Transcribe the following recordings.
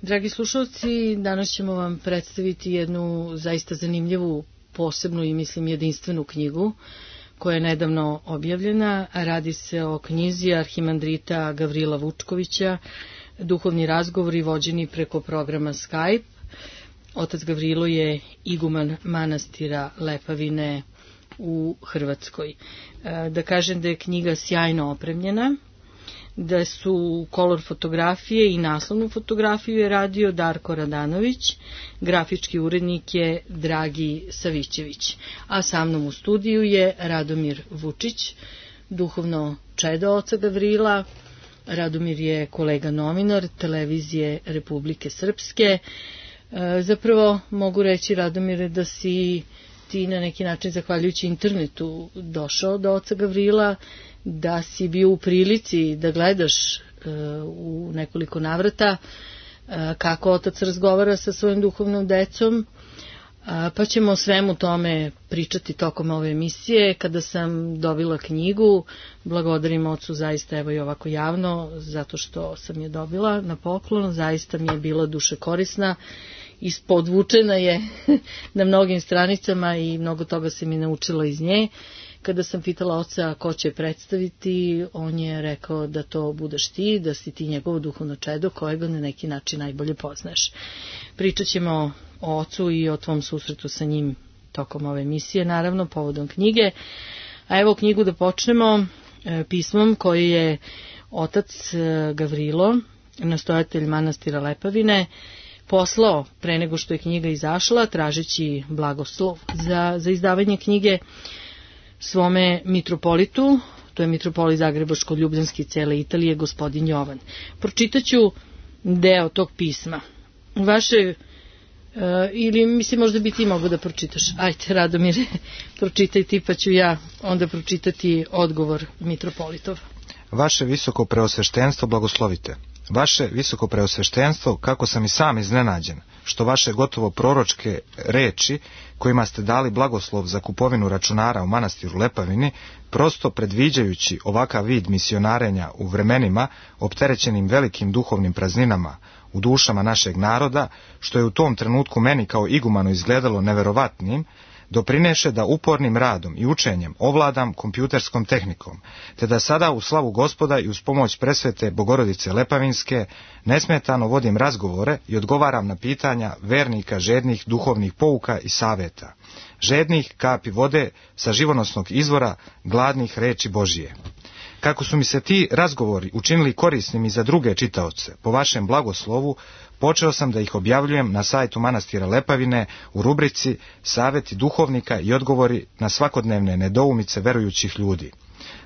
Dragi slušalci, danas ćemo vam predstaviti jednu zaista zanimljivu, posebnu i mislim jedinstvenu knjigu koja je nedavno objavljena. Radi se o knjizi arhimandrita Gavrila Vučkovića, Duhovni razgovori vođeni preko programa Skype. Otac Gavrilo je iguman manastira Lepavine u Hrvatskoj. Da kažem da je knjiga sjajno opremljena, da su kolor fotografije i naslovnu fotografiju je radio Darko Radanović, grafički urednik je Dragi Savićević, a sa mnom u studiju je Radomir Vučić, duhovno čedo oca Gavrila. Radomir je kolega novinar televizije Republike Srpske. Zapravo mogu reći, Radomire, da si ti na neki način, zahvaljujući internetu, došao do oca Gavrila, da si bio u prilici da gledaš u nekoliko navrata kako otac razgovara sa svojim duhovnom decom, pa ćemo o svemu tome pričati tokom ove emisije. Kada sam dobila knjigu, blagodarim ocu zaista, evo i ovako javno, zato što sam je dobila na poklon, zaista mi je bila duše korisna, ispodvučena je na mnogim stranicama i mnogo toga se mi naučila iz nje. Kada sam pitala oca ko će predstaviti, on je rekao da to budeš ti, da si ti njegovo duhovno čedo kojega na neki način najbolje poznaš. Pričat ćemo o ocu i o tvom susretu sa njim tokom ove emisije, naravno povodom knjige. A evo knjigu da počnemo pismom koje je otac Gavrilo, nastojatelj manastira Lepavine, poslao pre nego što je knjiga izašla, tražeći blagoslov za izdavanje knjige svome mitropolitu, to je mitropolit Zagrebačko-Ljubljanski cele Italije, gospodin Jovan. Pročitaću deo tog pisma. Vaše, ili mislim možda bi ti mogo da pročitaš. Ajde, Radomire, pročitaj ti, pa ću ja onda pročitati odgovor mitropolitov. Vaše visoko preosveštenstvo blagoslovite. Vaše visoko preosveštenstvo, kako sam i sam iznenađen, što vaše gotovo proročke reči, kojima ste dali blagoslov za kupovinu računara u manastiru Lepavini, prosto predviđajući ovakav vid misionarenja u vremenima opterećenim velikim duhovnim prazninama u dušama našeg naroda, što je u tom trenutku meni kao igumanu izgledalo neverovatnim, doprineše da upornim radom i učenjem ovladam kompjuterskom tehnikom, te da sada u slavu Gospoda i uz pomoć presvete Bogorodice Lepavinske nesmetano vodim razgovore i odgovaram na pitanja vernika žednih duhovnih pouka i saveta, žednih kapi vode sa živonosnog izvora, gladnih reči Božije. Kako su mi se ti razgovori učinili korisnim i za druge čitaoce, po vašem blagoslovu, počeo sam da ih objavljujem na sajtu manastira Lepavine u rubrici Saveti duhovnika i odgovori na svakodnevne nedoumice verujućih ljudi.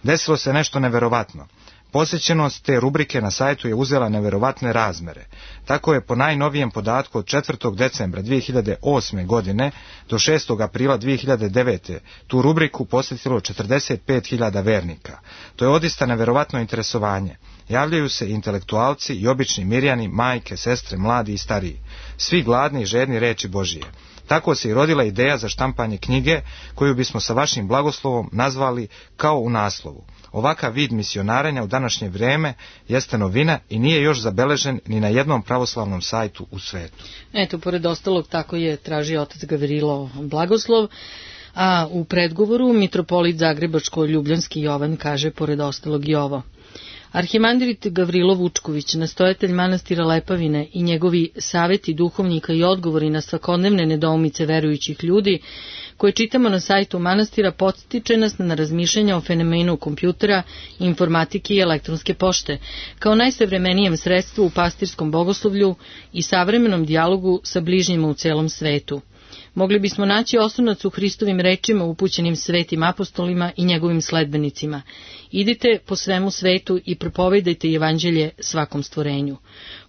Desilo se nešto neverovatno. Posjećenost te rubrike na sajtu je uzela neverovatne razmere. Tako je po najnovijem podatku od 4. decembra 2008. godine do 6. aprila 2009. tu rubriku posjetilo 45.000 vernika. To je odista neverovatno interesovanje. Javljaju se intelektualci i obični mirjani, majke, sestre, mladi i stariji. Svi gladni i žedni reči Božije. Tako se i rodila ideja za štampanje knjige, koju bismo sa vašim blagoslovom nazvali kao u naslovu. Ovakav vid misionarenja u današnje vrijeme jeste novina i nije još zabeležen ni na jednom pravoslavnom sajtu u svetu. Eto, pored ostalog, tako je tražio otac Gavrilo blagoslov, a u predgovoru mitropolit Zagrebačko-Ljubljanski Jovan kaže pored ostalog i ovo. Arhimandrit Gavrilo Vučković, nastojatelj manastira Lepavine i njegovi saveti duhovnika i odgovori na svakodnevne nedoumice verujućih ljudi, koje čitamo na sajtu manastira, podstiče nas na razmišljanja o fenomenu kompjutera, informatike i elektronske pošte, kao najsavremenijem sredstvu u pastirskom bogoslovlju i savremenom dijalogu sa bližnjima u celom svetu. Mogli bismo naći osnovac u Hristovim rečima upućenim svetim apostolima i njegovim sledbenicima. Idite po svemu svetu i propovedajte evanđelje svakom stvorenju.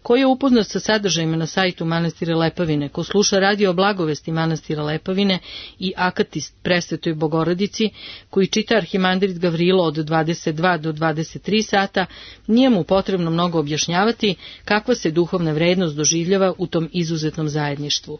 Ko je upoznat sa sadržajima na sajtu manastira Lepavine, ko sluša radio blagovesti manastira Lepavine i akatist presvetoj Bogorodici, koji čita arhimandrit Gavrilo od 22 do 23 sata, nije mu potrebno mnogo objašnjavati kakva se duhovna vrednost doživljava u tom izuzetnom zajedništvu.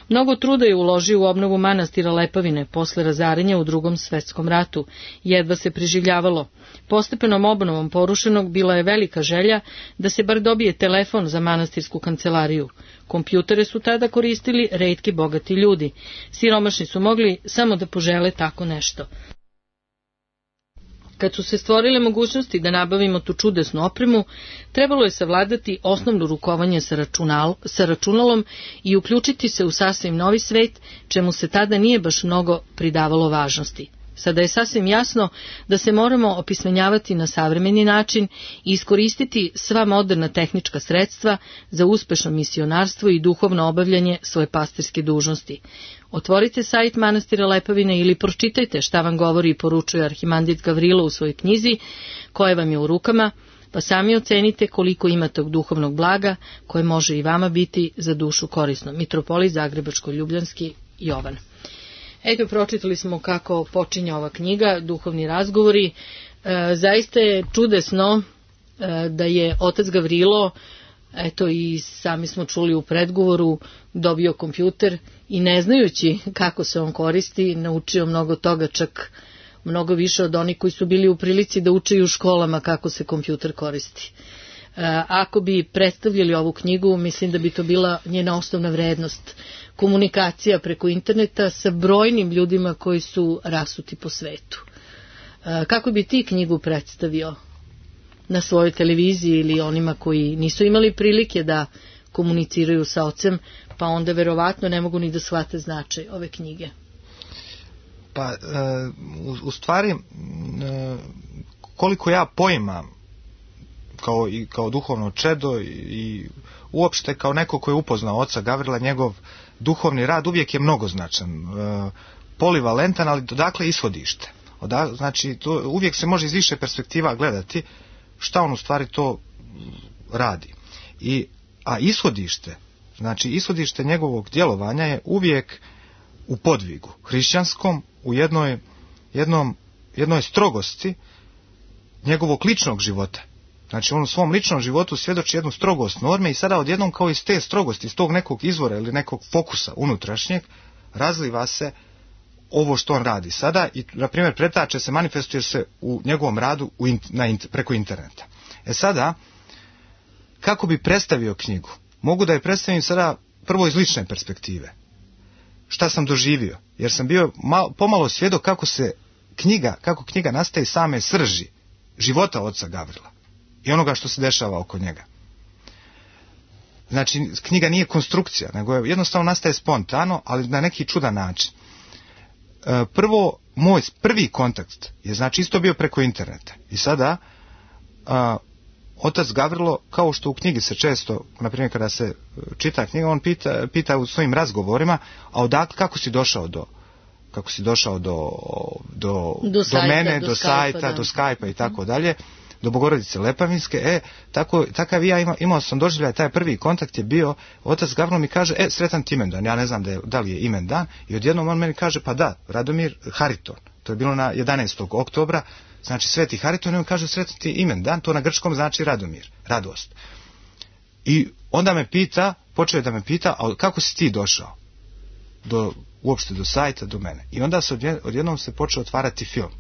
Mnogo truda je uložio u obnovu manastira Lepavine posle razaranja u Drugom svetskom ratu, jedva se preživljavalo. Postepenom obnovom porušenog bila je velika želja da se bar dobije telefon telefon za manastirsku kancelariju. Kompjutere su tada koristili retki bogati ljudi. Siromašni su mogli samo da požele tako nešto. Kad su se stvorile mogućnosti da nabavimo tu čudesnu opremu, trebalo je savladati osnovno rukovanje sa računalom i uključiti se u sasvim novi svet, čemu se tada nije baš mnogo pridavalo važnosti. Sada je sasvim jasno da se moramo opismenjavati na savremeni način i iskoristiti sva moderna tehnička sredstva za uspešno misionarstvo i duhovno obavljanje svoje pastirske dužnosti. Otvorite sajt manastira Lepavine ili pročitajte šta vam govori i poručuje arhimandrit Gavrilo u svojoj knjizi, koja vam je u rukama, pa sami ocenite koliko ima tog duhovnog blaga koje može i vama biti za dušu korisno. Mitropolit Zagrebačko-Ljubljanski Jovan. Eto, pročitali smo kako počinje ova knjiga, Duhovni razgovori. Zaista je čudesno da je otac Gavrilo, eto i sami smo čuli u predgovoru, dobio kompjuter i ne znajući kako se on koristi, naučio mnogo toga, čak mnogo više od onih koji su bili u prilici da uče i u školama kako se kompjuter koristi. Ako bi predstavljali ovu knjigu, mislim da bi to bila njena osnovna vrednost. Komunikacija preko interneta sa brojnim ljudima koji su rasuti po svetu. Kako bi ti knjigu predstavio na svojoj televiziji ili onima koji nisu imali prilike da komuniciraju sa ocem, pa onda verovatno ne mogu ni da shvate značaj ove knjige? Pa, u stvari, koliko ja poimam kao duhovno čedo i uopšte kao neko ko je upoznao oca Gavrila, njegov duhovni rad uvijek je mnogoznačan, polivalentan, ali odakle ishodište. Znači, uvijek se može iz više perspektiva gledati šta on u stvari to radi. A ishodište, znači ishodište njegovog djelovanja je uvijek u podvigu hrišćanskom, u jednoj strogosti njegovog ličnog života. Znači, on u svom ličnom životu svjedoči jednu strogost norme i sada odjednom kao iz te strogosti, iz tog nekog izvora ili nekog fokusa unutrašnjeg, razliva se ovo što on radi sada i, na primjer, pretače se, manifestuje se u njegovom radu preko interneta. Sada, kako bi predstavio knjigu? Mogu da je predstavim sada prvo iz lične perspektive. Šta sam doživio? Jer sam bio pomalo svjedok kako knjiga nastaje iz same srži života oca Gavrila i onoga što se dešava oko njega. Znači, knjiga nije konstrukcija, nego jednostavno nastaje spontano, ali na neki čudan način. Prvo, moj prvi kontakt je, znači, isto bio preko interneta. I sada, otac Gavrilo, kao što u knjigi se često, na primjer kada se čita knjiga, on pita u svojim razgovorima, a odakle, kako si došao do mene, do sajta, do Skype-a i tako dalje, do Bogorodice Lepavinske. Takav imao sam doživljaj, taj prvi kontakt je bio, otac Gavrilo mi kaže, sretan ti imendan, ja ne znam da li je imendan, i odjednom on meni kaže, pa da, Radomir Hariton, to je bilo na 11. oktobra, znači Sveti Hariton, i on kaže, sretan ti imendan, to na grčkom znači Radomir, radost. I onda počeo je da me pita, a kako si ti došao uopšte do sajta, do mene? I onda odjednom se počeo otvarati film.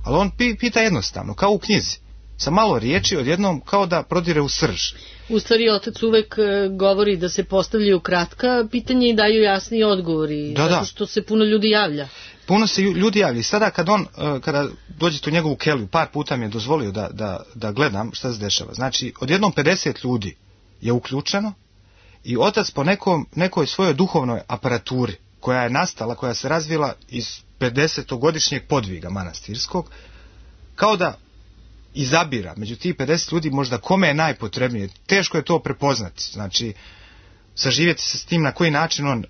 Ali on pita jednostavno, kao u knjizi, sa malo riječi, odjednom kao da prodire u srž. U stvari, otac uvek govori da se postavljaju kratka pitanja i daju jasni odgovori, zato što se puno ljudi javlja. Puno se ljudi javlja. I sada kada dođete u njegovu keliju, par puta mi je dozvolio da gledam šta se dešava. Znači, odjednom 50 ljudi je uključeno i otac po nekoj svojoj duhovnoj aparaturi koja je nastala, koja se razvila iz 50-godišnjeg podviga manastirskog, kao da izabira među tih 50 ljudi možda kome je najpotrebnije. Teško je to prepoznati, znači saživjeti se s tim na koji način on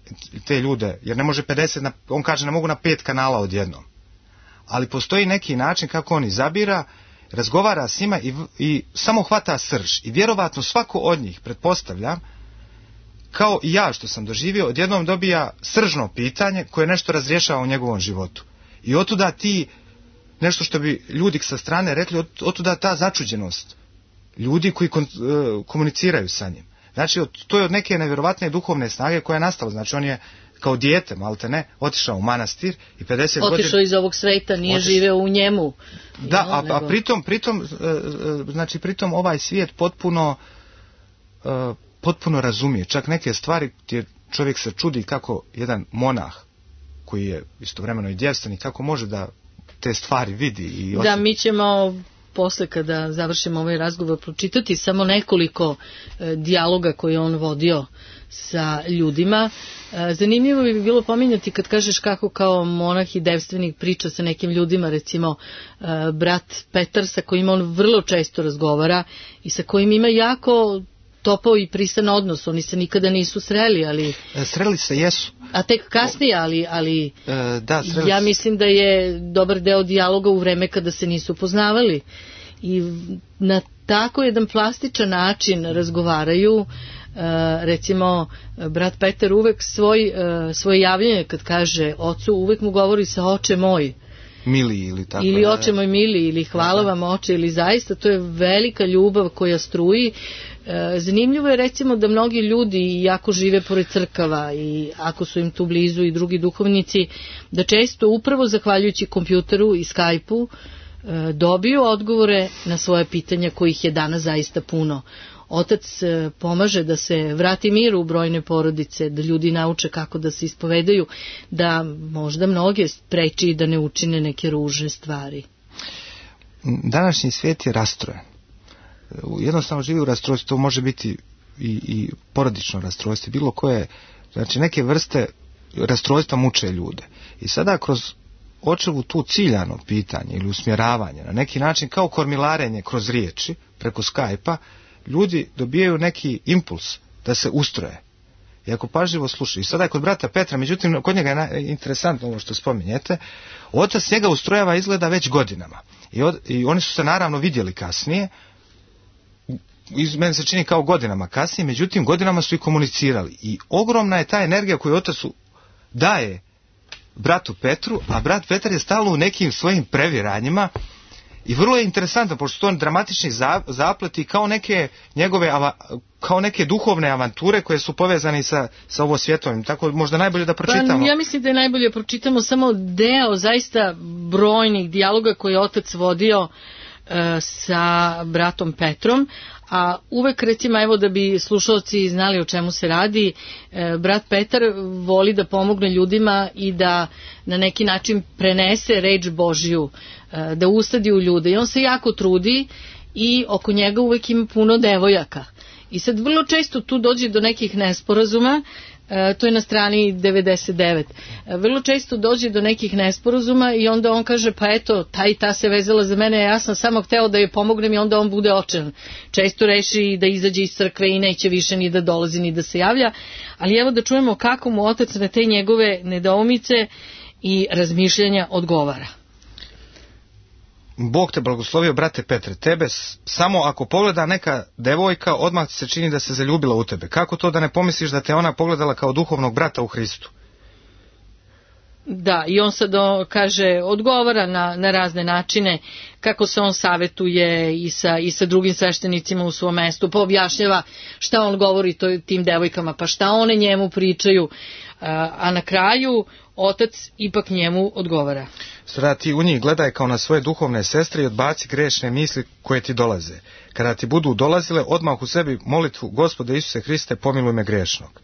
te ljude, jer ne može 50, on kaže ne mogu na 5 kanala odjednom. Ali postoji neki način kako on izabira, razgovara s njima i samo hvata srž. I vjerovatno svako od njih, pretpostavljam, kao i ja što sam doživio, odjednom dobija sržno pitanje koje nešto razrješava u njegovom životu. I otuda nešto što bi ljudi sa strane rekli, otuda ta začuđenost ljudi koji komuniciraju sa njim. Znači, to je od neke nevjerovatne duhovne snage koja je nastala. Znači, on je kao dijete, maltene, otišao u manastir i 50 godina... Otišao iz ovog sveta, nije živeo u njemu. Da, a pritom ovaj svijet potpuno potpuno razumije. Čak neke stvari gdje čovjek se čudi kako jedan monah koji je istovremeno i djevstvenik, kako može da te stvari vidi i osjeti. Da, mi ćemo posle kada završimo ovaj razgovor pročitati samo nekoliko dijaloga koje on vodio sa ljudima. Zanimljivo bi bilo pominjati kad kažeš kako kao monah i devstvenik priča sa nekim ljudima, recimo brat Petar sa kojim on vrlo često razgovara i sa kojim ima jako topao i pristan odnos. Oni se nikada nisu sreli, ali... Sreli se jesu. A tek kasnije, ali da, ja mislim da je dobar deo dijaloga u vreme kada se nisu poznavali. I na tako jedan plastičan način razgovaraju. Recimo, brat Petar uvek svoje javljanje kad kaže ocu, uvek mu govori sa oče moj. Mili ili tako. Ili oče moj mili, ili hvala vam oče, ili zaista to je velika ljubav koja struji. Zanimljivo je recimo da mnogi ljudi jako žive pored crkava i ako su im tu blizu i drugi duhovnici, da često upravo zahvaljujući kompjuteru i Skype-u dobiju odgovore na svoje pitanja kojih je danas zaista puno. Otac pomaže da se vrati mir u brojne porodice, da ljudi nauče kako da se ispovedaju, da možda mnoge spreči da ne učine neke ružne stvari. Današnji svijet je rastrojen. Jednostavno živi u rastrojstvu, to može biti i porodično rastrojstvo, bilo koje, znači neke vrste rastrojstva muče ljude. I sada kroz očevu tu ciljano pitanje ili usmjeravanje, na neki način kao kormilarenje kroz riječi, preko Skype-a, ljudi dobijaju neki impuls da se ustroje. I ako pažljivo slušaju. I sada je kod brata Petra, međutim, kod njega je interesantno ovo što spominjete, otac njega ustrojava izgleda već godinama. I oni su se naravno vidjeli kasnije, meni se čini kao godinama kasnije, međutim godinama su i komunicirali. I ogromna je ta energija koju otac daje bratu Petru, a brat Petar je stalno u nekim svojim previranjima i vrlo je interesantno, pošto su to dramatični zapleti kao neke njegove, kao neke duhovne avanture koje su povezane sa ovo svjetovim. Tako možda najbolje da pročitamo. Pa, ja mislim da je najbolje da pročitamo samo deo zaista brojnih dijaloga koje je otac vodio sa bratom Petrom, a uvek recimo, evo da bi slušalci znali o čemu se radi, brat Petar voli da pomogne ljudima i da na neki način prenese reč Božju, da usadi u ljude i on se jako trudi i oko njega uvek ima puno devojaka. I sad vrlo često tu dođe do nekih nesporazuma, to je na strani 99. Vrlo često dođe do nekih nesporazuma i onda on kaže, pa eto, ta i ta se vezala za mene, ja sam samo hteo da joj pomognem i onda on bude očajan. Često reši da izađe iz crkve i neće više ni da dolazi ni da se javlja, ali evo da čujemo kako mu otac na te njegove nedoumice i razmišljanja odgovara. Bog te blagoslovio, brate Petre, tebe samo ako pogleda neka devojka, odmah se čini da se zaljubila u tebe. Kako to da ne pomisliš da te ona pogledala kao duhovnog brata u Hristu? Da, i on sad kaže, odgovara na razne načine, kako se on savetuje i sa drugim sveštenicima u svom mestu, pa objašnjava šta on govori tim devojkama, pa šta one njemu pričaju, a na kraju otac ipak njemu odgovara. Sada ti u njih gledaj kao na svoje duhovne sestre i odbaci grešne misli koje ti dolaze. Kada ti budu dolazile, odmah u sebi molitvu, Gospode Isuse Hriste, pomiluj me grešnog.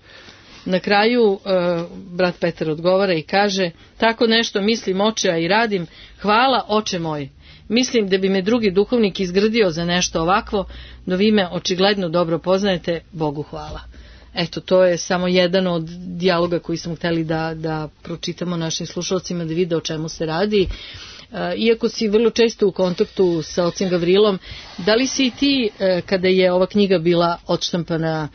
Na kraju brat Petar odgovara i kaže, tako nešto mislim oče, a i radim, hvala oče moj. Mislim da bi me drugi duhovnik izgrdio za nešto ovakvo, no vi me očigledno dobro poznajete, Bogu hvala. Eto, to je samo jedan od dijaloga koji smo hteli da pročitamo našim slušalcima, da vide o čemu se radi. Iako si vrlo često u kontaktu sa ocem Gavrilom, da li si i ti, kada je ova knjiga bila odštampana,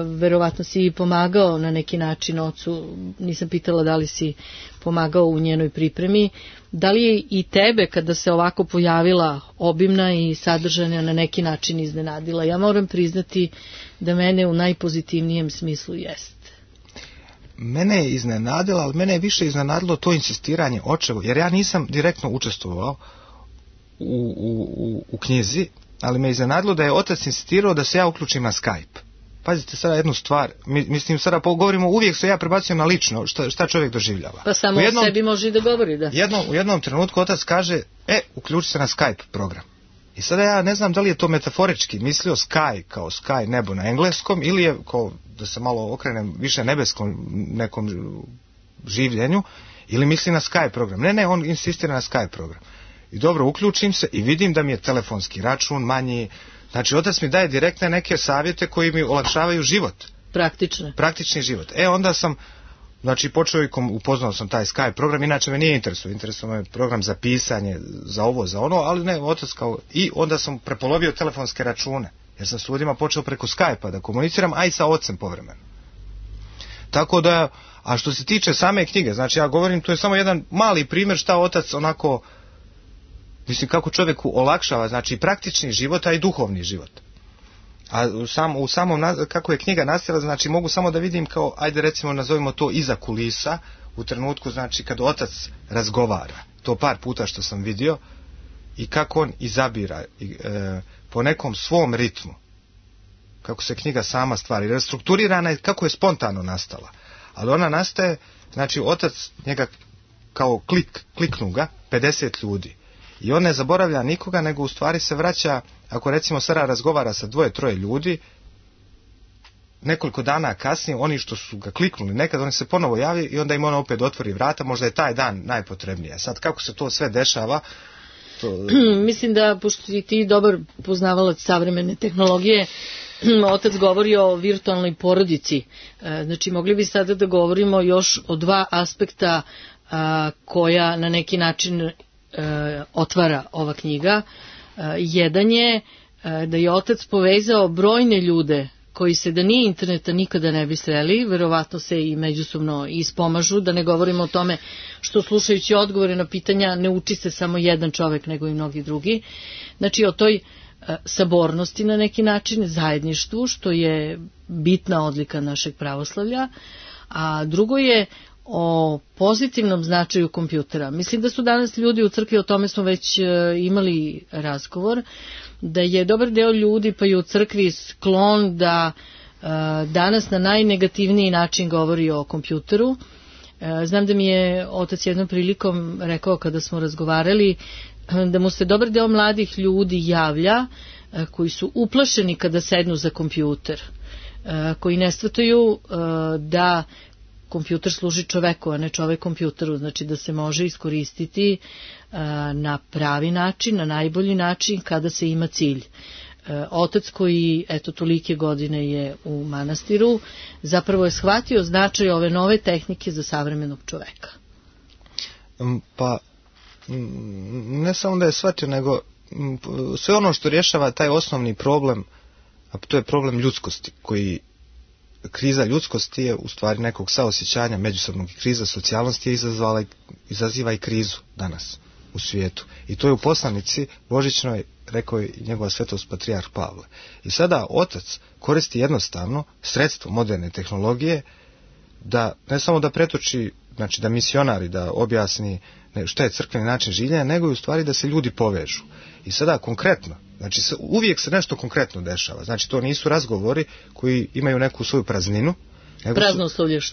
verovatno si pomagao na neki način ocu, nisam pitala da li si pomagao u njenoj pripremi, da li je i tebe kada se ovako pojavila obimna i sadržana na neki način iznenadila? Ja moram priznati da mene u najpozitivnijem smislu jest. Mene je iznenadila, ali mene je više iznenadilo to insistiranje očevo, jer ja nisam direktno učestvovao u knjizi, ali me je iznenadilo da je otac insistirao da se ja uključim na Skype. Pazite sada jednu stvar, mislim sada govorimo, uvijek se ja prebacujem na lično, šta čovjek doživljava. Pa samo o sebi može i da govori, da. U jednom trenutku otac kaže, uključi se na Skype program. I sada ja ne znam da li je to metaforički mislio sky kao sky, nebo na engleskom, ili je, kao da se malo okrenem više nebeskom nekom življenju, ili misli na Skype program. Ne, on insistira na Skype program. I dobro, uključim se i vidim da mi je telefonski račun manji. Znači, otac mi daje direktne neke savjete koji mi olakšavaju život. Praktični život. Onda sam, znači, počeo i upoznao sam taj Skype program, inače me nije interesuo me program za pisanje, za ovo, za ono, ali ne, otac kao, i onda sam prepolovio telefonske račune, jer sam s ljudima počeo preko Skype-a da komuniciram, a i sa ocem povremeno. Tako da, a što se tiče same knjige, znači ja govorim, to je samo jedan mali primjer šta otac onako, mislim, kako čovjeku olakšava, znači praktični život, a i duhovni život. A u samom, kako je knjiga nastala, znači mogu samo da vidim kao, ajde recimo nazovimo to iza kulisa, u trenutku, znači kad otac razgovara, to par puta što sam vidio, i kako on izabira po nekom svom ritmu, kako se knjiga sama stvari, restrukturirana je, kako je spontano nastala. Ali ona nastaje, znači otac njega kao kliknu ga 50 ljudi. I on ne zaboravlja nikoga, nego u stvari se vraća, ako recimo Sara razgovara sa 2-3 ljudi, nekoliko dana kasnije, oni što su ga kliknuli, nekad oni se ponovo javi i onda im on opet otvori vrata, možda je taj dan najpotrebnije. Sad kako se to sve dešava? Mislim da, pošto si ti dobar poznavalac savremene tehnologije, otac govori o virtualnoj porodici. Znači, mogli bi sada da govorimo još o 2 aspekta koja na neki način otvara ova knjiga. Jedan je da je otac povezao brojne ljude koji se da nije interneta nikada ne bi sreli, verovatno se i međusobno ispomažu, da ne govorimo o tome što slušajući odgovore na pitanja ne uči se samo jedan čovek nego i mnogi drugi. Znači o toj sabornosti na neki način, zajedništvu, što je bitna odlika našeg pravoslavlja, a drugo je o pozitivnom značaju kompjutera. Mislim da su danas ljudi u crkvi, o tome smo već imali razgovor, da je dobar deo ljudi pa i u crkvi sklon da danas na najnegativniji način govori o kompjuteru. Znam da mi je otac jednom prilikom rekao kada smo razgovarali da mu se dobar deo mladih ljudi javlja koji su uplašeni kada sednu za kompjuter, koji ne shvataju da kompjuter služi čoveku, a ne čovek kompjuteru, znači da se može iskoristiti na pravi način, na najbolji način kada se ima cilj. Otac koji, eto, tolike godine je u manastiru, zapravo je shvatio značaj ove nove tehnike za savremenog čoveka. Pa, ne samo da je shvatio, nego sve ono što rješava taj osnovni problem, a to je problem ljudskosti, kriza ljudskosti je u stvari nekog saosjećanja međusobnog, i kriza socijalnosti je izaziva i krizu danas u svijetu. I to je u poslanici božićnoj rekao je njegova svetost patrijarh Pavle. I sada otac koristi jednostavno sredstvo moderne tehnologije da ne samo da pretoči, znači da misionari, da objasni šta je crkveni način življenja, nego i u stvari da se ljudi povežu. I sada konkretno, znači uvijek se nešto konkretno dešava. Znači to nisu razgovori koji imaju neku svoju prazninu.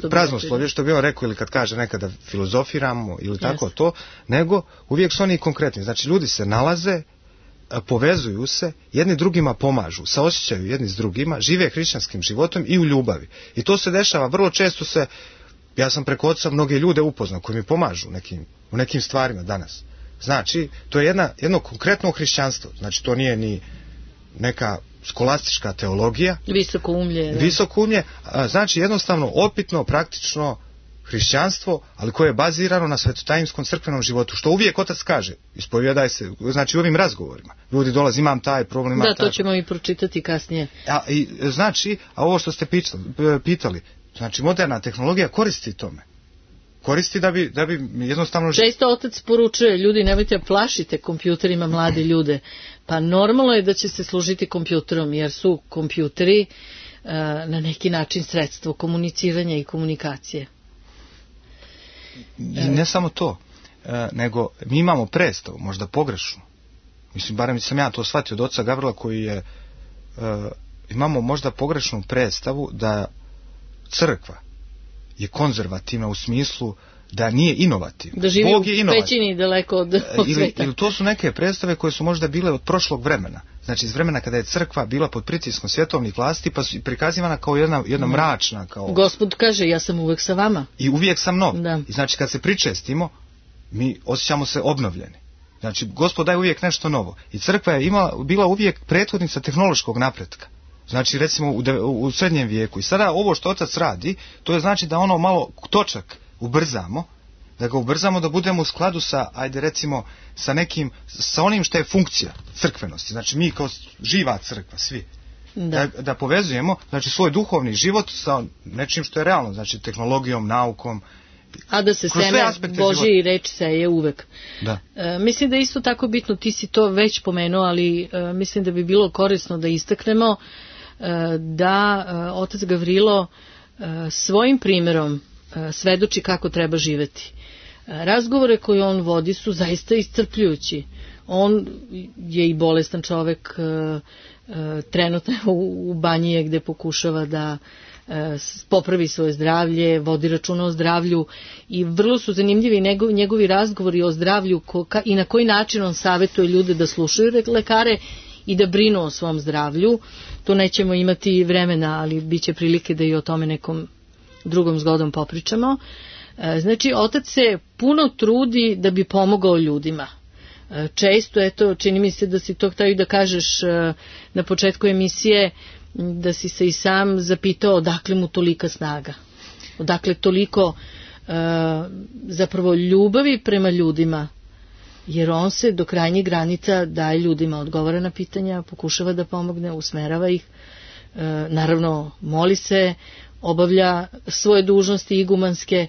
Praznoslovlje što bi on rekao, ili kad kaže nekada filozofiramo ili tako to, nego uvijek su oni konkretni. Znači ljudi se nalaze, povezuju se, jedni drugima pomažu, saosjećaju jedni s drugima, žive hrišćanskim životom i u ljubavi. I to se dešava, vrlo često ja sam preko oca mnoge ljude upoznao koji mi pomažu u nekim stvarima danas. Znači, to je jedno konkretno hrišćanstvo. Znači, to nije ni neka skolastička teologija. Visokoumlje. Znači, jednostavno, opitno, praktično hrišćanstvo, ali koje je bazirano na svetotajinskom crkvenom životu. Što uvijek otac kaže, ispovjedaj se, znači u ovim razgovorima. Ljudi dolaze, imam taj problem, imam taj. Da, to ćemo i pročitati kasnije. A ovo što ste pitali, znači, moderna tehnologija koristi tome. Koristi da bi jednostavno... Često otac poručuje, ljudi, nemojte plašite kompjuterima mlade ljude. Pa normalno je da će se služiti kompjuterom, jer su kompjuteri na neki način sredstvo komuniciranja i komunikacije. I ne samo to, nego mi imamo predstavu, možda pogrešnu. Mislim, barem sam ja to shvatio od oca Gavrila, koji je... imamo možda pogrešnu predstavu da crkva je konzervativna u smislu da nije inovativna. Da živi u pećini daleko od sveta. Ili to su neke predstave koje su možda bile od prošlog vremena. Znači iz vremena kada je crkva bila pod pritiskom svjetovnih vlasti, pa su prikazivana kao jedna mračna. Gospod kaže, ja sam uvek sa vama. I uvijek sam nov. Da. I znači kad se pričestimo, mi osjećamo se obnovljeni. Znači Gospod daje uvijek nešto novo. I crkva je bila uvijek prethodnica tehnološkog napretka. Znači recimo u srednjem vijeku. I sada ovo što otac radi, to je znači da ono malo točak ubrzamo, da ga ubrzamo da budemo u skladu sa, ajde recimo, sa onim što je funkcija crkvenosti. Znači mi kao živa crkva, svi. Da povezujemo, znači, svoj duhovni život sa nečim što je realno, znači tehnologijom, naukom. A da se seme Božji reč seje uvek. Da. Mislim da je isto tako bitno, ti si to već pomenuo, ali mislim da bi bilo korisno da istaknemo da otac Gavrilo svojim primjerom svedoči kako treba živeti. Razgovore koje on vodi su zaista iscrpljujući. On je i bolestan čovek, trenutno u banji je gde pokušava da popravi svoje zdravlje, vodi računa o zdravlju i vrlo su zanimljivi njegovi razgovori o zdravlju i na koji način on savjetuje ljude da slušaju lekare i da brinu o svom zdravlju. To nećemo imati vremena, ali bit će prilike da i o tome nekom drugom zgodom popričamo. Znači, otac se puno trudi da bi pomogao ljudima. Često, eto, čini mi se da si to htio da kažeš na početku emisije, da si se i sam zapitao odakle mu tolika snaga. Odakle toliko zapravo ljubavi prema ljudima. Jer on se do krajnjih granica daje ljudima, odgovara na pitanja, pokušava da pomogne, usmerava ih. Naravno, moli se, obavlja svoje dužnosti igumanske.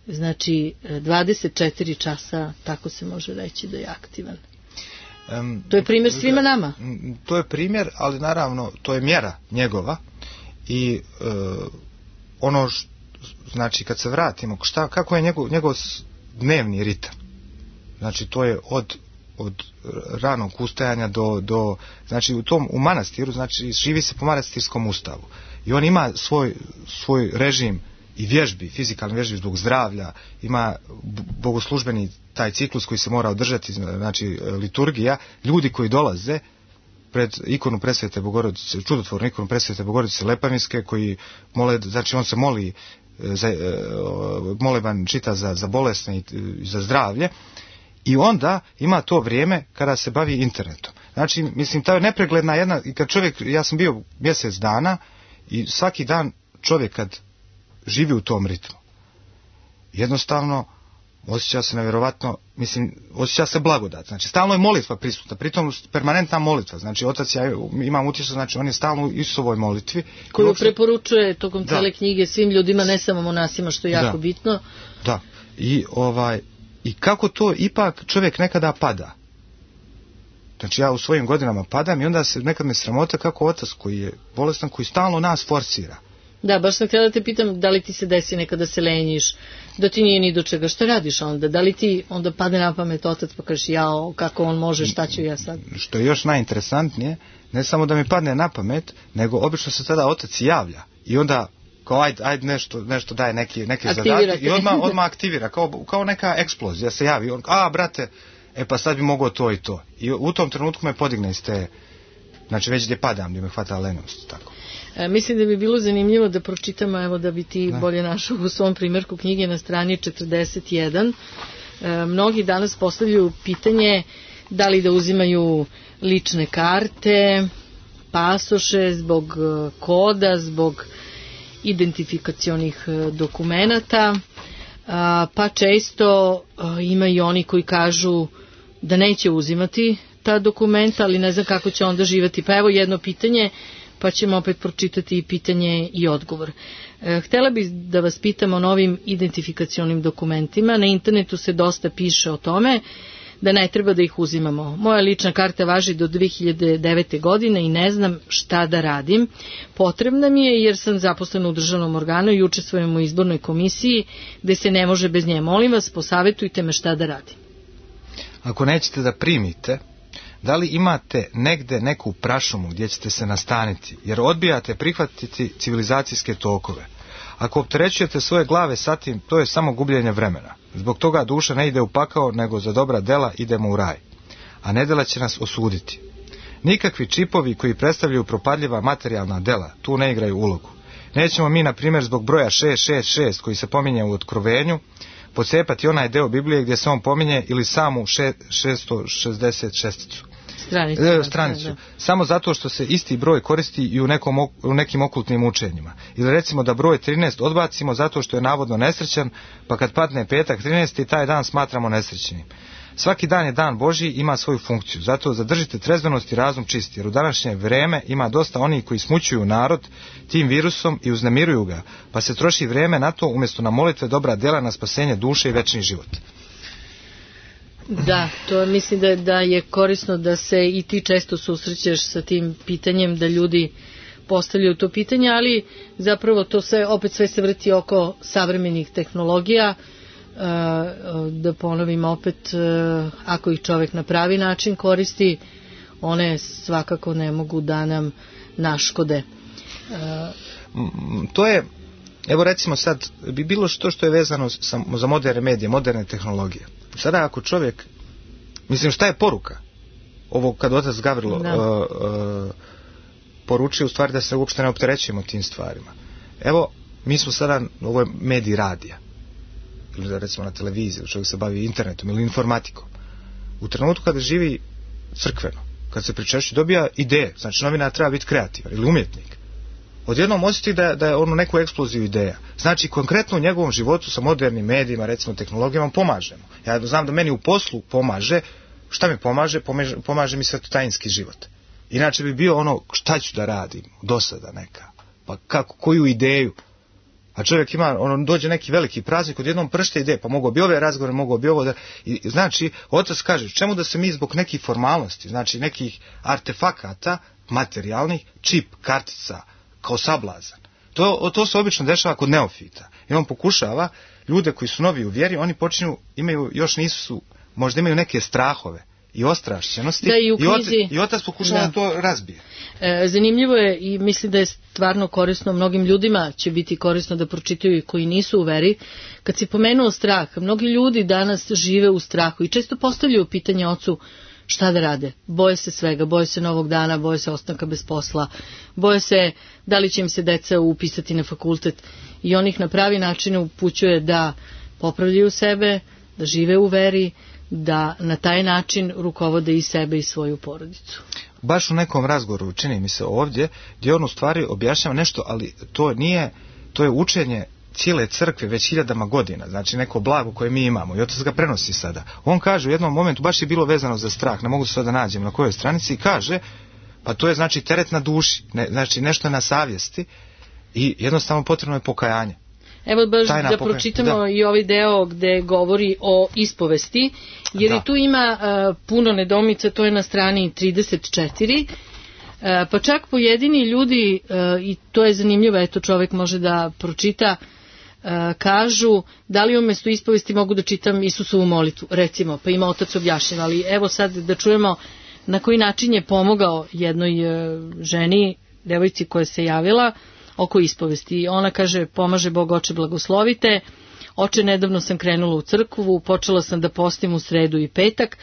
Znači 24 časa, tako se može reći da je aktivan. To je primjer svima nama. To je primjer, ali naravno to je mjera njegova i ono znači kad se vratimo, kako je njegov dnevni ritam. Znači to je od ranog ustajanja do znači u manastiru, znači živi se po manastirskom ustavu. I on ima svoj režim i vježbi, fizikalne vježbi zbog zdravlja, ima bogoslužbeni taj ciklus koji se mora održati, znači liturgija, ljudi koji dolaze pred ikonu Presvete Bogorodice, čudotvornu ikonu Presvete Bogorodice Lepavinske, koji mole, znači on se moli, moleban čita za bolesne i za zdravlje, i onda ima to vrijeme kada se bavi internetom. Znači, mislim, to je nepregledna jedna, i kad čovjek, ja sam bio mjesec dana i svaki dan čovjek kad živi u tom ritmu, jednostavno osjeća se nevjerovatno, mislim, osjeća se blagodat. Znači, stalno je molitva prisutna, pritom permanentna molitva. Znači, otac, ja imam utisak, znači, on je stalno u Isusovoj molitvi. Koju preporučuje tokom cele knjige svim ljudima, ne samo monasima, što je jako bitno. Da, i kako to ipak čovjek nekada pada. Znači, ja u svojim godinama padam i onda se nekad me sramota kako otac koji je bolestan, koji stalno nas forsira. Da, baš sam htjela da te pitam da li ti se desi nekada se lenjiš, da ti nije ni do čega, šta radiš onda? Da li ti onda pade na pamet otac pa kažeš jao, kako on može, šta ću ja sad? Što je još najinteresantnije, ne samo da mi padne na pamet, nego obično se tada otac javlja i onda kao ajde nešto daje neke zadatke i odmah aktivira, kao neka eksplozija se javi, brate, pa sad bi mogao to i to. I u tom trenutku me podigne iz te, znači već gdje padam, gdje me hvata lenost, tako. Mislim da bi bilo zanimljivo da pročitamo, evo da bi ti bolje našao u svom primjerku knjige na strani 41. Mnogi danas postavljaju pitanje da li da uzimaju lične karte, pasoše zbog koda, zbog identifikacionih dokumenata, pa često ima i oni koji kažu da neće uzimati ta dokumenta, ali ne znam kako će onda živjeti. Pa evo jedno pitanje, pa ćemo opet pročitati i pitanje i odgovor. Htjela bih da vas pitam o novim identifikacionim dokumentima. Na internetu se dosta piše o tome da ne treba da ih uzimamo. Moja lična karta važi do 2009. godine i ne znam šta da radim. Potrebna mi je jer sam zaposlena u državnom organu i učestvujem u izbornoj komisiji gde se ne može bez nje. Molim vas, posavetujte me šta da radim. Ako nećete da primite, da li imate negde neku prašumu gdje ćete se nastaniti, jer odbijate prihvatiti civilizacijske tokove. Ako opterećujete svoje glave sa tim, to je samo gubljenje vremena. Zbog toga duša ne ide u pakao, nego za dobra dela idemo u raj. A nedela će nas osuditi. Nikakvi čipovi koji predstavljaju propadljiva materijalna dela tu ne igraju ulogu. Nećemo mi, na primjer, zbog broja 666 koji se pominje u Otkrovenju, pocepati onaj deo Biblije gdje se on pominje ili samu 666 stranicu. Da. Samo zato što se isti broj koristi i u nekim okultnim učenjima. Ili recimo da broj 13 odbacimo zato što je navodno nesrećan, pa kad padne petak 13. taj dan smatramo nesrećnim. Svaki dan je dan Božji, ima svoju funkciju, zato zadržite trezvenost i razum čisti, jer u današnje vrijeme ima dosta onih koji smućuju narod tim virusom i uznemiruju ga, pa se troši vrijeme na to umjesto na molitve, dobra djela, na spasenje duše i večni život. Da, to mislim da je korisno da se i ti često susrećeš sa tim pitanjem, da ljudi postavljaju to pitanje, ali zapravo to opet sve se vrti oko savremenih tehnologija. Da ponovim opet, ako ih čovjek na pravi način koristi, one svakako ne mogu da nam naškode. To je, evo recimo sad, bi bilo što je vezano za moderne medije, moderne tehnologije. Sada ako čovjek, mislim, šta je poruka? Ovo kad otac Gavrilo poručio u stvari da se uopšte ne opterećujemo tim stvarima. Evo, mi smo sada, ovo je medij radija, ili recimo na televiziji, čovjek se bavi internetom ili informatikom. U trenutku kada živi crkveno, kad se pričešće, dobija ideje, znači novinar treba biti kreativan ili umjetnik. Odjednom osjeti da je ono neku eksploziju ideja. Znači konkretno u njegovom životu sa modernim medijima, recimo tehnologijama, pomažemo. Ja znam da meni u poslu pomaže. Šta mi pomaže? Pomaže mi svetotajinski život. Inače bi bio ono, šta ću da radim, dosada neka, pa kako, koju ideju. A čovjek ima, dođe neki veliki praznik, odjednom pršte ideje, pa mogu bi ove razgovore, mogu bi ovo da... I, znači, otac kaže, čemu da se mi zbog nekih formalnosti, znači nekih artefakata materijalnih, čip, kartica, kao sablazan. To se obično dešava kod neofita. I on pokušava, ljude koji su novi u vjeri, oni počinju, još nisu, možda imaju neke strahove i ostrašćenosti, da, i otac pokušava da to razbije. Zanimljivo je i mislim da je stvarno korisno, mnogim ljudima će biti korisno da pročitaju i koji nisu u veri. Kad si pomenuo strah, mnogi ljudi danas žive u strahu i često postavljaju pitanje ocu šta da rade. Boje se svega, boje se novog dana, boje se ostanka bez posla, boje se da li će im se deca upisati na fakultet, i on ih na pravi način upućuje da popravljaju sebe, da žive u veri, da na taj način rukovode i sebe i svoju porodicu. Baš u nekom razgovoru, čini mi se ovdje, gdje on u stvari objašnjava nešto, ali to je učenje cijele crkve već hiljadama godina, znači neko blago koje mi imamo i otac ga prenosi sada. On kaže u jednom momentu, baš je bilo vezano za strah, ne mogu se sada nađem na kojoj stranici, i kaže, pa to je znači teret na duši, znači nešto je na savjesti i jednostavno potrebno je pokajanje. Evo baš da pročitamo i ovaj deo gde govori o ispovesti, jer i tu ima puno nedoumica, to je na strani 34, pa čak pojedini ljudi, i to je zanimljivo, eto čovjek može da pročita, kažu da li umjesto ispovesti mogu da čitam Isusovu molitvu, recimo, pa ima otac objašnjeno, ali evo sad da čujemo na koji način je pomogao jednoj ženi, devojci koja se javila oko ispovesti. Ona kaže, pomaže Bog, oče blagoslovite, oče, nedavno sam krenula u crkvu, počela sam da postim u sredu i petak,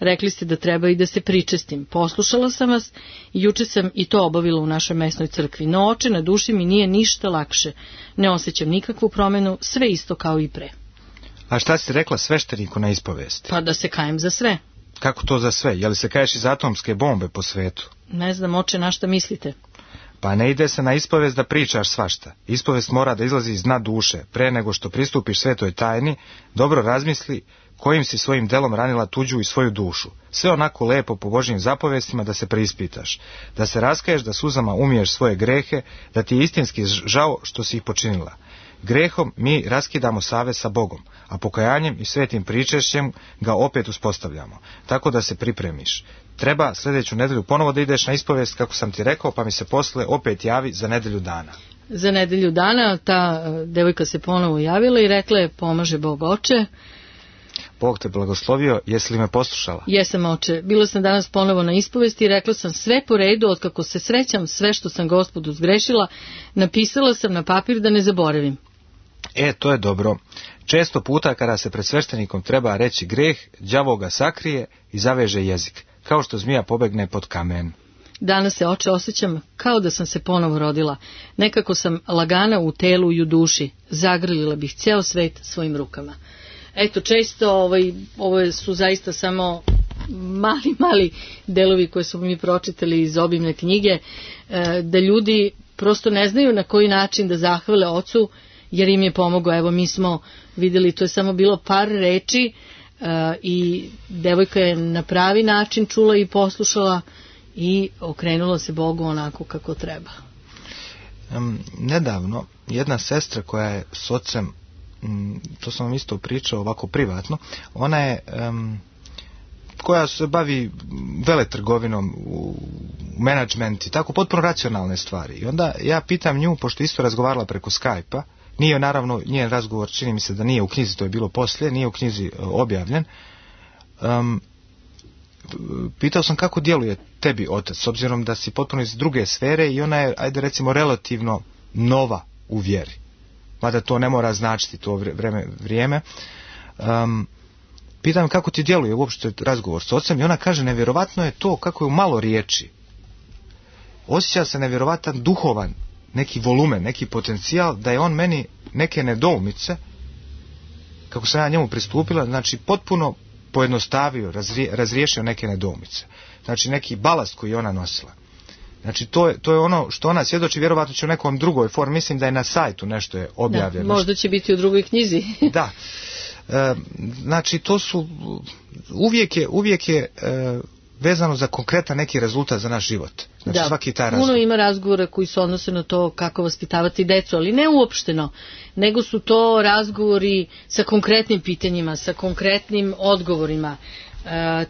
rekli ste da treba i da se pričestim. Poslušala sam vas i juče sam i to obavila u našoj mesnoj crkvi. No, oče, na duši mi nije ništa lakše. Ne osjećam nikakvu promjenu, sve isto kao i pre. A šta si rekla svešteniku na ispovesti? Pa da se kajem za sve. Kako to za sve? Je li se kaješ iz atomske bombe po svetu? Ne znam, oče, na šta mislite? Pa ne ide se na ispovest da pričaš svašta. Ispovest mora da izlazi iz dna duše. Pre nego što pristupiš svetoj tajni, dobro razmisli kojim si svojim delom ranila tuđu i svoju dušu. Sve onako lepo po Božjim zapovestima da se preispitaš. Da se raskaješ, da suzama umiješ svoje grehe, da ti je istinski žao što si ih počinila. Grehom mi raskidamo savez sa Bogom, a pokajanjem i svetim pričešćem ga opet uspostavljamo. Tako da se pripremiš. Treba sljedeću nedelju ponovo da ideš na ispovest, kako sam ti rekao, pa mi se posle opet javi za nedelju dana. Za nedelju dana ta devojka se ponovo javila i rekla je, pomaže Bog, oče. Bog te blagoslovio, jesi li me poslušala? Jesam, oče. Bila sam danas ponovo na ispovesti i rekla sam sve po redu, otkako se srećam, sve što sam Gospodu zgrešila, napisala sam na papir da ne zaboravim. To je dobro. Često puta kada se pred sveštenikom treba reći greh, đavo ga sakrije i zaveže jezik, kao što zmija pobegne pod kamen. Danas se, oče, osjećam kao da sam se ponovo rodila. Nekako sam lagana u telu i u duši. Zagrlila bih ceo svet svojim rukama. Eto, često ovo su zaista samo mali delovi koje smo mi pročitali iz obimne knjige, da ljudi prosto ne znaju na koji način da zahvale ocu, jer im je pomogao. Evo, mi smo vidjeli, to je samo bilo par reči i devojka je na pravi način čula i poslušala i okrenula se Bogu onako kako treba. Nedavno jedna sestra koja je s ocem, to sam vam isto pričao ovako privatno, ona je koja se bavi veletrgovinom, u menadžment i tako, potpuno racionalne stvari. I onda ja pitam nju, pošto isto razgovarala preko Skype-a, nije naravno, njen razgovor čini mi se da nije u knjizi, to je bilo poslije, nije u knjizi objavljen. Pitao sam kako djeluje tebi otac, s obzirom da si potpuno iz druge sfere i ona je, ajde recimo, relativno nova u vjeri. Mada to ne mora značiti to vrijeme. Pitam kako ti djeluje uopšte razgovor s ocem i ona kaže nevjerovatno je to kako je u malo riječi. Osjeća se nevjerovatan duhovan neki volumen, neki potencijal, da je on meni neke nedoumice, kako sam ja njemu pristupila, znači potpuno pojednostavio, razriješio neke nedoumice. Znači neki balast koji je ona nosila. Znači to je ono što ona svjedoči, vjerovatno će u nekom drugoj formi, mislim da je na sajtu nešto je objavljeno. Da, možda će biti u drugoj knjizi. Da. Znači to su, uvijek je vezano za konkretan neki rezultat za naš život. Znači da, svaki taj razgovor. Puno ima razgovora koji se odnose na to kako vaspitavati decu, ali ne uopšteno, nego su to razgovori sa konkretnim pitanjima, sa konkretnim odgovorima.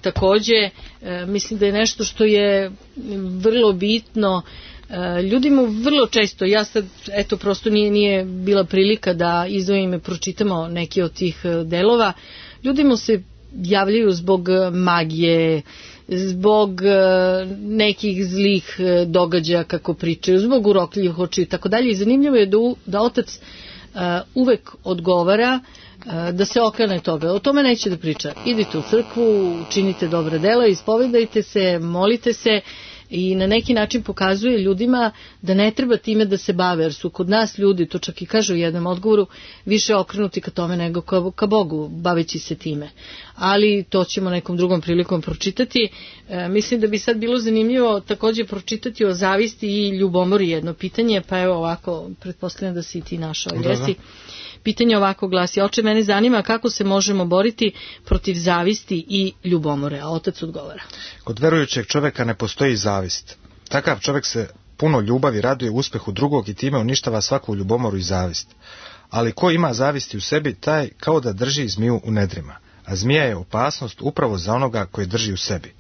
Također, mislim da je nešto što je vrlo bitno, ljudima vrlo često, ja sad, eto, prosto nije bila prilika da izdvojim i pročitamo neki od tih delova, ljudima se javljaju zbog magije, zbog nekih zlih događaja kako pričaju, zbog urokljivih očiju i tako dalje. I zanimljivo je da otac uvek odgovara da se okrene toga. O tome neće da priča. Idite u crkvu, činite dobra dela, ispovedajte se, molite se i na neki način pokazuje ljudima da ne treba time da se bave, jer su kod nas ljudi, to čak i kažu u jednom odgovoru, više okrenuti ka tome nego ka Bogu, baveći se time. Ali to ćemo nekom drugom prilikom pročitati. Mislim da bi sad bilo zanimljivo također pročitati o zavisti i ljubomori jedno pitanje, pa evo ovako, pretpostavljam da si i ti našao. Jesi? Pitanje ovako glasi: oče, mene zanima kako se možemo boriti protiv zavisti i ljubomore, a otac odgovara. Kod verujućeg čovjeka ne postoji zavist. Takav čovjek se puno ljubavi raduje uspjehu drugog i time uništava svaku ljubomoru i zavist. Ali ko ima zavisti u sebi, taj kao da drži zmiju u nedrima, a zmija je opasnost upravo za onoga koji drži u sebi.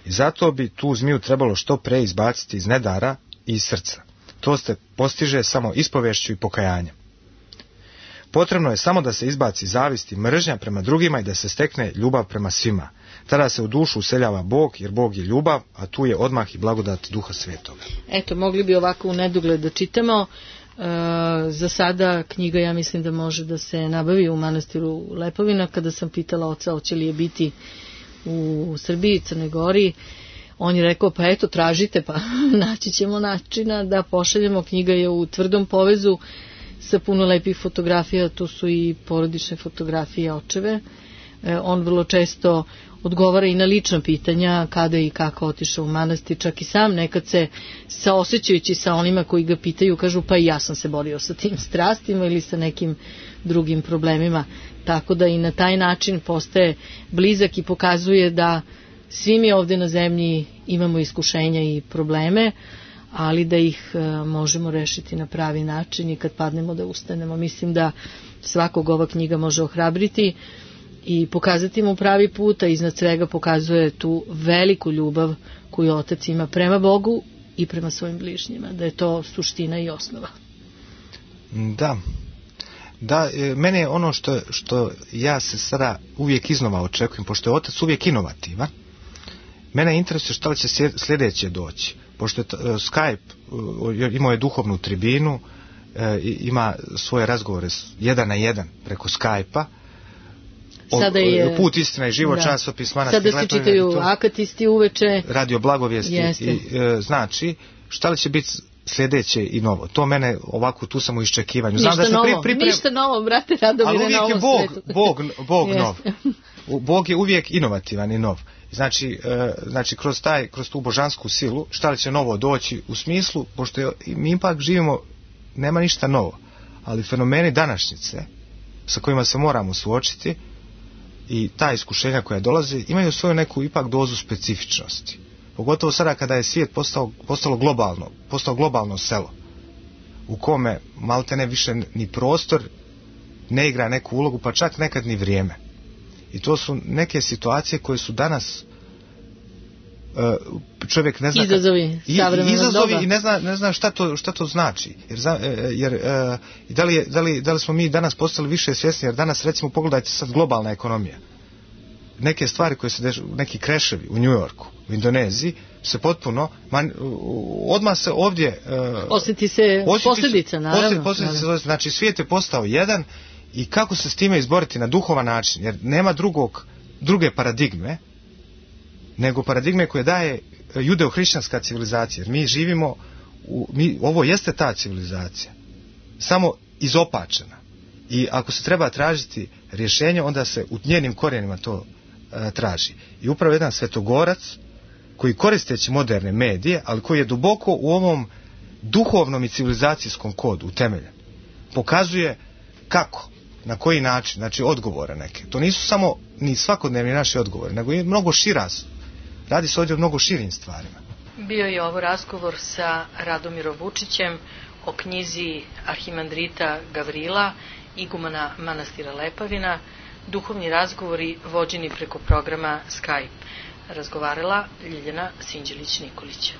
I zato bi tu zmiju trebalo što pre izbaciti iz nedara i iz srca. To se postiže samo ispovješću i pokajanjem. Potrebno je samo da se izbaci zavist i mržnja prema drugima i da se stekne ljubav prema svima. Tada se u dušu useljava Bog, jer Bog je ljubav, a tu je odmah i blagodat Duha Svetoga. Eto, mogli bi ovako u nedogled da čitamo. Za sada knjiga, ja mislim da može da se nabavi u manastiru Lepovina. Kada sam pitala oca hoće li je biti u Srbiji, Crnoj Gori, on je rekao, pa eto, tražite, pa naći ćemo načina da pošaljemo. Knjiga je u tvrdom povezu sa puno lepih fotografija, tu su i porodične fotografije očeve. On vrlo često odgovara i na lična pitanja, kada i kako otišao u manastir, čak i sam nekad se saosećajući sa onima koji ga pitaju, kažu pa i ja sam se borio sa tim strastima ili sa nekim drugim problemima, tako da i na taj način postaje blizak i pokazuje da svi mi ovdje na zemlji imamo iskušenja i probleme, ali da ih možemo rešiti na pravi način i kad padnemo da ustanemo. Mislim da svakog ova knjiga može ohrabriti i pokazati mu pravi put, a iznad svega pokazuje tu veliku ljubav koju otac ima prema Bogu i prema svojim bližnjima, da je to suština i osnova. Da. Da, mene je ono što ja se sada uvijek iznova očekujem, pošto je otac uvijek inovativan, mene interesuje šta li će sljedeće doći. Pošto je Skype imao je duhovnu tribinu, ima svoje razgovore 1 na 1 preko Skype-a, Put, istina i život, časopis Manastir Lepavina. Sada se čitaju akatisti uveče. Radio Blagovijesti. Znači, šta li će biti sljedeće i novo? To mene ovako, tu sam u iščekivanju. Ništa da novo, ništa novo, brate Radomire, na ovom svetu. Bog nov. Bog je uvijek inovativan i nov. Znači kroz tu božansku silu, šta li će novo doći u smislu, pošto mi ipak živimo, nema ništa novo, ali fenomeni današnjice sa kojima se moramo suočiti i ta iskušenja koja dolaze imaju svoju neku ipak dozu specifičnosti. Pogotovo sada kada je svijet postao globalno selo, u kome maltene više ni prostor ne igra neku ulogu, pa čak nekad ni vrijeme. I to su neke situacije koje su danas čovjek ne zna izazovi i ne zna šta to znači. Jer da li smo mi danas postali više svjesni, jer danas recimo pogledajte sad globalna ekonomija. Neke stvari koje se dešavaju, neki kreševi u New Yorku, u Indoneziji, se potpuno odmah se ovdje osjeti se posljedica, naravno. Znači svijet je postao jedan i kako se s time izboriti na duhovan način, jer nema druge paradigme nego paradigme koje daje judeo-hrišćanska civilizacija. Jer mi živimo, ovo jeste ta civilizacija, samo izopačena. I ako se treba tražiti rješenje, onda se u njenim korijenima to traži. I upravo jedan svetogorac, koji koristeći moderne medije, ali koji je duboko u ovom duhovnom i civilizacijskom kodu utemeljen, pokazuje kako, na koji način, znači odgovore neke. To nisu samo ni svakodnevni naši odgovori, nego i mnogo šira. Radi se ovdje o mnogo širim stvarima. Bio je ovo razgovor sa Radomirom Vučićem o knjizi arhimandrita Gavrila, igumana Manastira Lepavina, duhovni razgovori vođeni preko programa Skype. Razgovarala Ljiljana Sinđelić-Nikolić.